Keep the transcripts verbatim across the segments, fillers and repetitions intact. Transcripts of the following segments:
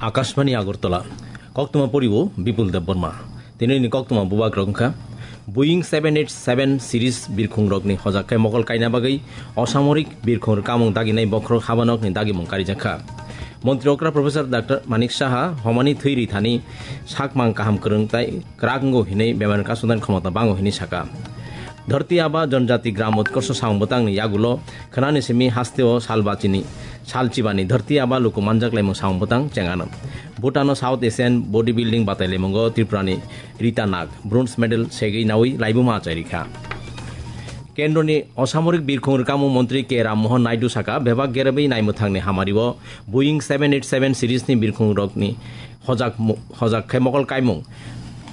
Akashbani Agartala, koktwma poriwo Bipul Debbarma. Tinini koktwma bubagrok wngkha, Boeing seven eight seven series birkhungrokni hojak khe mokol kaina bagwi osamorik birkhung rwkamung daginai bokhorok habanokni dagimung karijakha. Montri okra Professor Doctor Manik Saha homani thwi rithani sakmang kaham kwrwng tai kwrak wngo hinwi bemar kasudani khomota bango hinwi saka. Dharti Aba Janjati Gram Utkarsh samung bwtangni yagulo khwnani simi hasteo salbachini, salchibani Dharti Aba luku manjak laimung samung bwtang chengano. Bhutano South Asian Bodybuilding batai laimungo Tripurani Rita Nag bronze medal segwi nawi laibuma achairikha. Kendroni osamorik birkhung rwkamung montri K Ram Mohan Naidu saka, bebak gerebwi naimwthangni hamario Boeing seven eight seven series ni birkhung rokni hojak mu-, hojak khe mokol kaimung.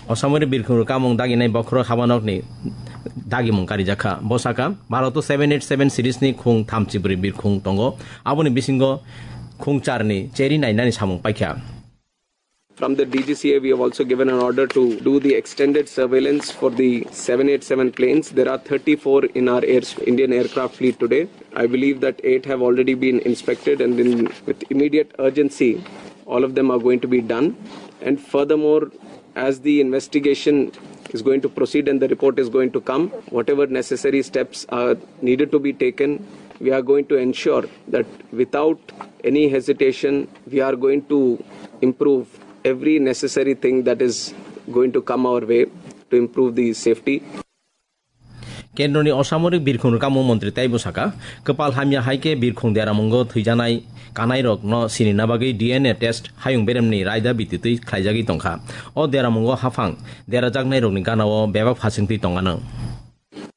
Osamorik birkhung rwkamung daginai bokhorok habanokni dagimung karijakha. Bo saka, Bharoto seven eight seven series ni khung thamchi bwrwi birkhung tongo. Aboni bisingo khung charni cheri nainani samung paikha. From the D G C A, we have also given an order to do the extended surveillance for the seven eight seven planes. There are thirty-four in our air, Indian aircraft fleet today. I believe that eight have already been inspected, and in, with immediate urgency, all of them are going to be done. And furthermore, as the investigation is going to proceed and the report is going to come, whatever necessary steps are needed to be taken, we are going to ensure that without any hesitation, we are going to improve every necessary thing that is going to come our way to improve the safety. Kendroni osamorik birkhung rwkamung montri taibo saka, kwpal hamya hai khe birkhung deramungo thwijanai kanairokno sinina bagwi D N A test hayung beremni raida bititwi khlaijagwi tongkha. O deramungo haphang derajaknairokni ganao bebak phasingtwi tongano.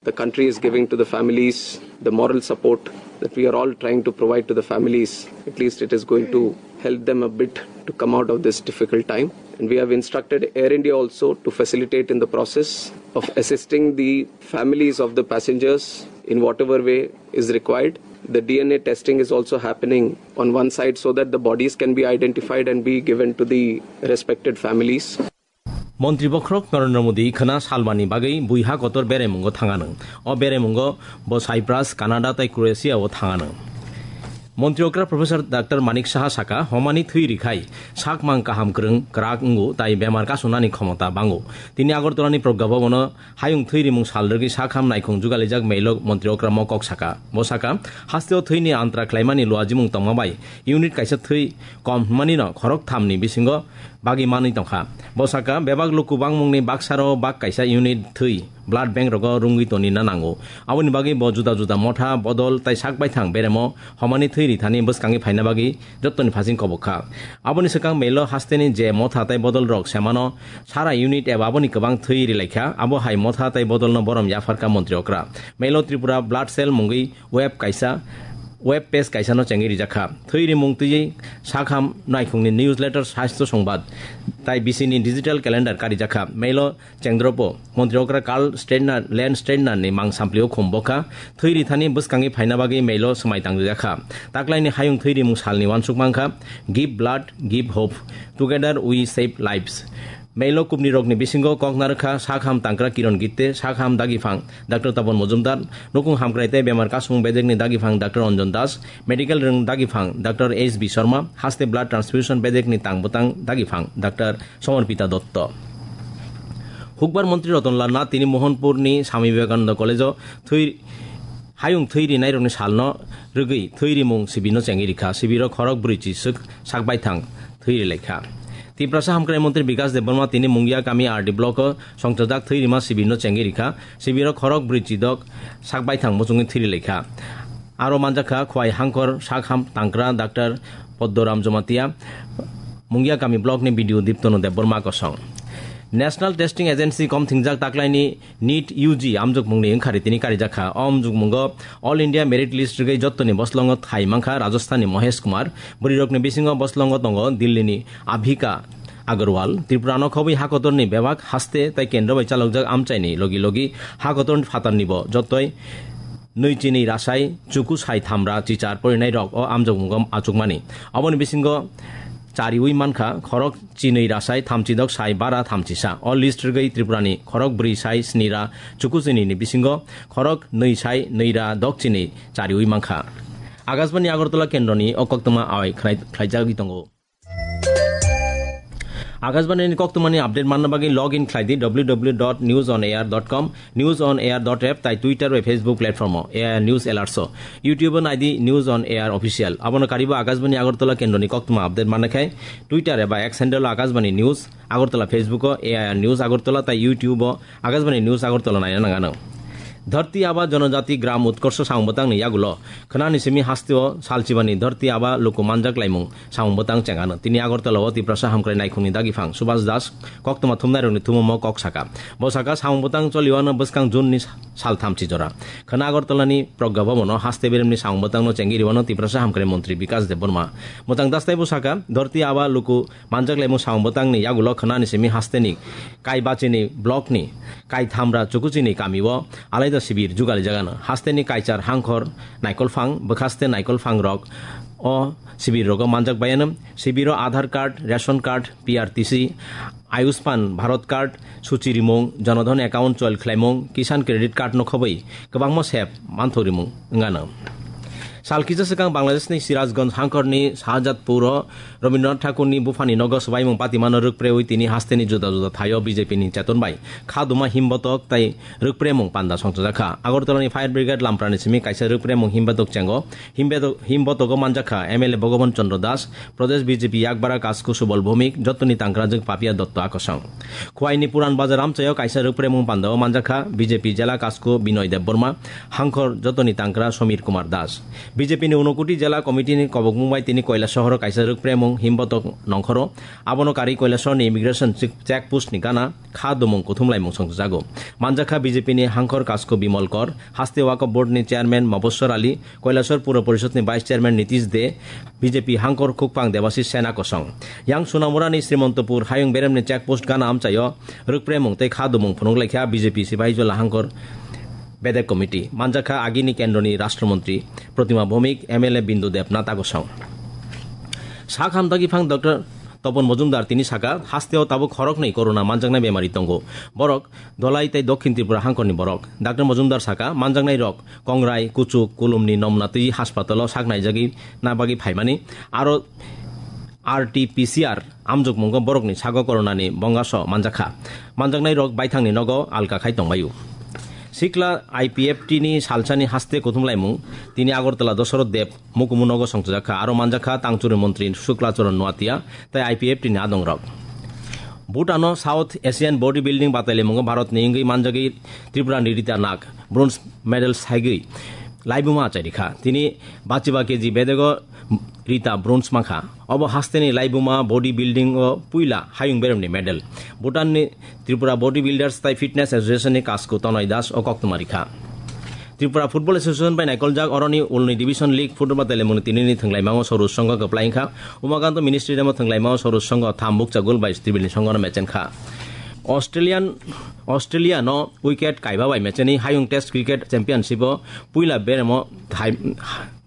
The country is giving to the families the moral support that we are all trying to provide to the families. At least it is going to help them a bit to come out of this difficult time. And we have instructed Air India also to facilitate in the process of assisting the families of the passengers in whatever way is required. The D N A testing is also happening on one side so that the bodies can be identified and be given to the respected families. Montri bokhorok Narendra Modi khwna salmani bagwi bui ha kotor beraimungo thanganw. O beraimungo bo Cyprus, Canada tei Croatia o thanganw. Montri okra Professor Doctor Manik Saha saka, homani thwi rikhai sakmang kaham kwrwng kwrak wngo tai bemar kasunani khomota bango. Tini Agartala ni Pragya Bhavan o hayung thwi rimung sal rwgwi sakham naikhung jugalijak mail o montri okra mo kok saka. Bo saka, hasteo thwini antra khlaimani luajimung tongma bai unit kaisa thwi kom hwnmani no khorok thamni bisingo bagwi manwi tongkha. Bo saka, bebak luku bangmungni baksaro bak kaisa unit thwi blood bank rogo rwngwi tonina nango. Aboni bagwi bo juda juda motha, bodol tai sak baithang beremo homani thwi rithani bwskangi phaina bagwi jottoni phasing kobok kha. Aboni swkang mailo hasteni je motha tai bodol rok semano sara unit eba aboni kwbang thwi rilai kha, abo hai motha tai bodolno borom yapharkha montri okra. Mailo Tripura blood cell mungwi web kaisa, web page kaisano chengwi rijak kha. Thwi rimung twiwi sakham naikhungni newsletter, sastho songbad tai bisini digital calendar karijakha. Mailo chengdropo montri okra Karl Steinert, Lance Steinert ni mang samplio khum bokha. Thwi rithani bwskangi phaina bagwi mailo swmai tangrijakha. Taklaini hayung thwi rimung salni uansuk mankha, Give Blood, Give Hope, Together We Save Lives. Mailo kubni rokni bisingo kok narwkha sakham tangkra Kiron Gitte, sakham dagiphang Doctor Tapan Mojumdar, nukung hamkrai tei bemar kasung bedekni dagiphang Doctor Anjan Das, medical rwng dagiphang Doctor H B Sharma, haste blood transfusion bedekni tang bwtang dagiphang Doctor Samarpita Dotto. Hukbar montri Ratan Lal Nath tini Mohanpurni Swami Vivekananda College-o thwi, hayung thwi rinairokni salno rwgwi thwi rimung sibirno chengwi rikha. Sibiro khorok brwi chiswk sak baithang thwi rilaikha. Tiprasa Hamkrai Montri Bikas Debbarma tini Mungia Kami R D block-o songchajak thwi rima sibirno chengwi rikha. Sibiro khorok brwi chidok sak baithang muchungwi thwi rilaikha. Aro manjakha Khwai Hangkor sakham tangkra Doctor Poddoram Jamatia, Mungia Kami block ni B D O Diptono Debbarma kosong. National Testing Agency kom thingjak taklaini NEET U G amjokmungni wngkha ritini karijakha. O amjokmungo All India Merit List rwgwi jottoni boslongo thai mankha Rajasthanni Mohesh Kumar, bwrwirokni bisingo boslongo tongo Dillini Abhika Agarwal. Tripurano khobwi hakotorni bebak haste tei kendro bai chalokjak amchaini logi logi hakotor phatarnibo jottoi nwi chinwi rasai chuku sai thamra chichar porinairok o amjokmungo achukmani. Aboni bisingo chariwi mankha khorok chinwi rasai thamchidok sai bara thamchisa. O list rwgwi Tripurani khorok brwi sai snira chuku chinwini bisingo khorok nwi sai nwira dok chinwi chariwi mankha. Akashbani Agartala kendroni o koktwma awai khlai-, khlaijagwi tongo. Akashbani ni koktwmani update manna bagwi log in khlai di w w w dot news on air dot com, news on air dot app tai Twitter bai Facebook platform o A I R News Alerts o. YouTube o nai di News on Air Official. Abono karibo Akashbani Agartala kendroni koktwma update manna khai Twitter eba X handle o Akashbani News Agartala, Facebook o A I R News Agartala tai YouTube o Akashbani News Agartala naina nangano. Dharti Aba Janajati Gram Utkarsha samung bwtangni yagulo khwnani simi hasteo salchibani Dharti Aba luku manjak laimung samung bwtang chengano. Tini Agartala o Tiprasa Hamkrai Naikhungni dagiphang Subhas Das koktwma thumnairokni thumumo kok saka. Bo saka samung bwtang choliwano bwskang June ni sal thamchi jora. Khwna Agartala ni Pragya Bhavan o haste beremni samung bwtangno chengwi riwano Tiprasa Hamkrai Montri Bikas Debbarma. Mwchang Das taibo saka, Dharti Aba luku manjak laimung samung bwtangni yagulo khwnani simi hasteni Kaibachini blockni Kaithamra Chukuchini kamio alaida sibir jugali jagano. Hasteni Kaichar Hangkhor Naikolphang, bwkhaste Naikolphang rok o sibir rogo manjak bayano. Sibiro Aadhaar card, ration card, P R T C, Ayushman Bharat card, suchi rimung, Janadhan account chol khlaimung, Kisan credit card no khobwi kwbangma sep manthok rimung wngano. Sal kisa swkang Bangladeshni Sirajganj hangkorni Shahjatpuro Rabindranath Thakurni buphani nogo swbaimung patimano rwkprewi tini hasteni juda juda thaio B J P ni cheton bai khaduma himbotok tai rwkpremung panda songchajakha. Agartalani Fire Brigade Lamprani simi kaisa rwkpremung himbotok chengo. Himbotok, himbotogo manjakha M L A Bhagavan Chandra Das, Pradesh B J P Yakbara Kasku Subal Bhowmik, jotoni tangkrajwk Papia Dotto Akosong. Khwaini Puran Bazar amchaio kaisa rwkpremung pandao manjakha B J P Jela Kasku Binoy Debbarma, hangkhor jotoni tangkra Somir Kumar Das. B J P ni Unokoti Jela Committee ni kobokmung bai tini Koilasohoro kaisa rwkpremung himbotok nongkhoro. Abono karwi Koilasohorni immigration check, check post ni gana kha dumung kuthumlaimung songjago. Manjakha B J P ni hangkhor Kasku Bimal Kor, haste Waqf Board ni chairman Moboswar Ali, Koilasor Puro Porishod ni Vice Chairman Nitish De, B J P hangkor khukpang Debashish Sena kosong. Yang Sunamura ni Srimantopur hayung berem ni check post gana amchaio rwkpremung tei kha dumung phunuk laikha B J P Sipahijola hangkor bedek committee. Manjakha agini kendroni Rashtra Montri Protima Bhowmik, M L A Bindu Debnath Akosong. Sak hamtaki phang Doctor Topon Mojumdar tini saka, hasteo tabuk khoroknwi corona manjaknai bemari tongo. Borok Dolai tei Dokhin Tripura hangkorni borok. Doctor Mojumdar saka, manjaknai rok Kongrai, Kuchuk, Kulumni Nomna twi haspatalo sak naijagwi na bagwi phaimani. Aro R T P C R amjokmungo borokni sago coronani bongaso manjakha. Manjaknai rok baithangni nogo alka khai tongbaio. Sikla I P F T ni salsani haste kuthumlaimung tini Agartala Dosoroth Deb Mukumu nogo songchajakha, aro manjakha tangchuri montri Sukla Charan Noatia tei I P F T ni adongrok. Bhutan o South Asian Body Building batailamungo Bharat ni wngwi manjagwi Tripura ni Rita Nag bronze medal saigwi laibuma achairikha. Tini bachiba K G bedego Rita bronze mankha. Obo hasteni laibuma body building o puila hayung beremni medal. Bhutan ni Tripura Body Builders tai Fitness Association ni Kasku Tonoi Das o koktwma rikha. Tripura Football Association bai naikoljak oroni ulni Division League football batailaimungni tinini thwnglaimango Sorus Songho kwplai wngkha. Umakanto Ministry demo thwnglaimango Sorus Songho tham bukcha gol bai triple ni Songhono mechenkha. Australian, Australia no wicket kaiba bai mecheni hayung Test Cricket Championship o puila beremo thai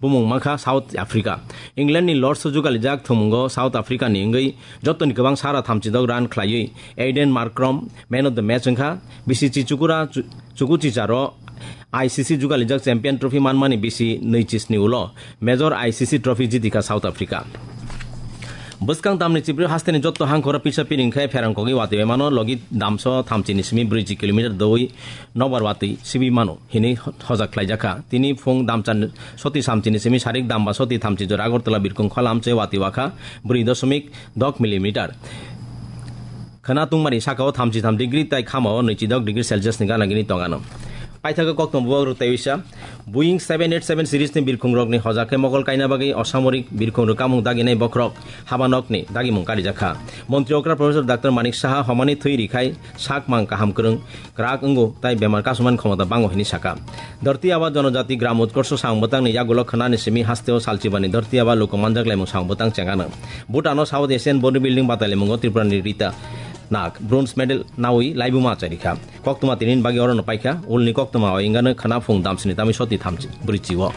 bumung mankha South Africa. England ni Lords o jugalijak thumungo South Africa ni wngwi jotoni kwbang sara thamchidok run khlaiwi Aiden Markram Man of the Match wngkha. Bisi chichukura chu-, chukuchicharo I C C jugalijak Champion Trophy manmani bisi nui chisni ulo Major I C C Trophy jitikha South Africa. Bwskang tamni chibri hasteni jotto hangkhoro pisa piring khe pherang kogwi watwi mano logi damso thamchini simi brwiji kilometer dowi nokbar watwi sibi mano hinwi hojak khlaijakha. Tini phung damchan soti samchini simi sarik damba soti thamchi jora Agartala birkung khola amchai watwi wakha brwi doshomik dok millimeter. Khwna tungmani sakao thamchi tham degree tai khamao nwichi dok degree Celsius ni gana gini tongano. Paithago koktwma bubagrok tei uisa Boeing seven eight seven series ni birkhung rokni hoja khe mokol kaina bagwi osamorik birkhung rwkamung daginai bokhorok habanokni dagimung karijakha. Montri okra Professor Doctor Manik Saha homani thwi rikhai sak mang kaham kwrwng kwrak wngo tai bemar kasumani khomota bango hinwi saka. Dharti Aba Janajati Gram Utkarsha samung bwtangni yagulo khwnani simi hasteo salchibani Dharti Aba luku manjak laimung samung bwtang chengano. Bhutan o South Asian Body Building batailamungo Tripura ni Rita Nag bronze medal nawi laibuma achairikha. Koktwma tinin bagwi orono paikha, ulni koktwma o wngano khwna phung damsini tamwi soti thamchi, brwichi o.